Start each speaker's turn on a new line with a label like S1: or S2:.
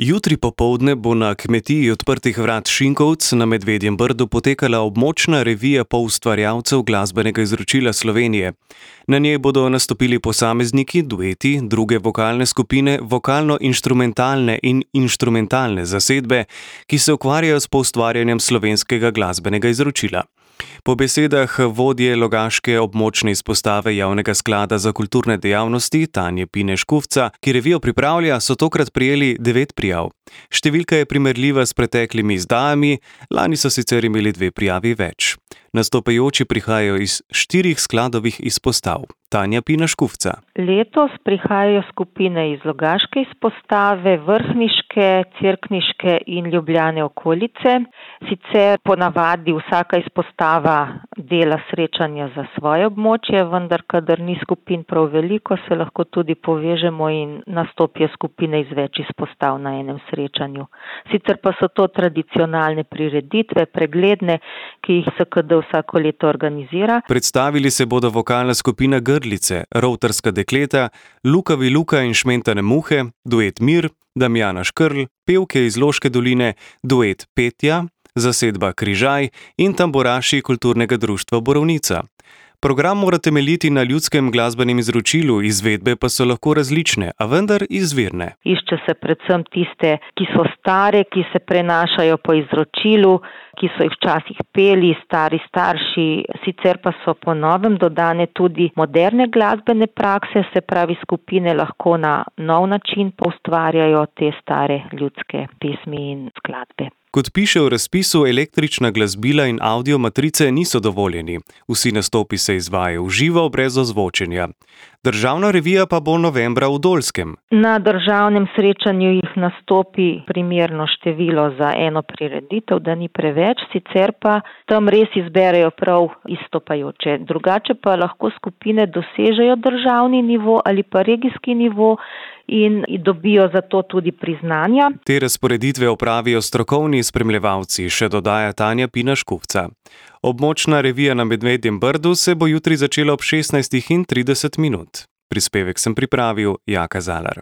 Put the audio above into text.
S1: Jutri popoldne bo na kmetiji Odprtih vrat Šinkovec na Medvedjem Brdu potekala območna revija poustvarjalcev glasbenega izročila Slovenije. Na njej bodo nastopili posamezniki, dueti, druge vokalne skupine, vokalno-inštrumentalne in inštrumentalne zasedbe, ki se ukvarjajo s poustvarjanjem slovenskega glasbenega izročila. Po besedah vodje logaške območne izpostave Javnega sklada za kulturne dejavnosti Tanje Pine Škufca, ki revijo pripravlja, so tokrat prejeli 9 prijav. Številka je primerljiva s preteklimi izdajami, lani so sicer imeli 2 prijavi več. Nastopajoči prihajajo iz 4 skladovih izpostav. Tanja Pina Škufca.
S2: Letos prihajajo skupine iz logaške izpostave, vrhniške, cerkniške in Ljubljane okolice. Sicer ponavadi vsaka izpostava dela srečanja za svoje območje, vendar kadar ni skupin prav veliko, se lahko tudi povežemo in nastopijo skupine iz več izpostav na enem srečanju. Sicer pa so to tradicionalne prireditve, pregledne, ki jih SKD vsako leto organizira.
S1: Predstavili se bodo vokalna skupina Grlice, Rovtarska dekleta, Lukavi Luka in Šmentane muhe, duet Mir, Damjana Škrl, pevke iz Loške doline, duet Petja, zasedba Križaj in tamburaši kulturnega društva Borovnica. Program mora temeljiti na ljudskem glasbenem izročilu, izvedbe pa so lahko različne, a vendar izvirne.
S2: Išče se predvsem tiste, ki so stare, ki se prenašajo po izročilu, ki so jih včasih peli stari starši, sicer pa so po novem dodane tudi moderne glasbene prakse, se pravi skupine lahko na nov način poustvarjajo te stare ljudske pesmi in skladbe.
S1: Kot piše v razpisu, električna glasbila in audio matrice niso dovoljeni. Vsi nastopi se izvajajo v živo, brez ozvočenja. Državna revija pa bo novembra v Dolskem.
S2: Na državnem srečanju jih nastopi primerno število za eno prireditev, da ni preveč, sicer pa tam res izberejo prav izstopajoče. Drugače pa lahko skupine dosežejo državni nivo ali pa regijski nivo in dobijo za to tudi priznanja.
S1: Te razporeditve opravijo strokovni spremljevalci, še dodaja Tanja Pina Škufca. Območna revija na Medvedjem Brdu se bo jutri začela ob 16:30. Prispevek sem pripravil Jaka Zalar.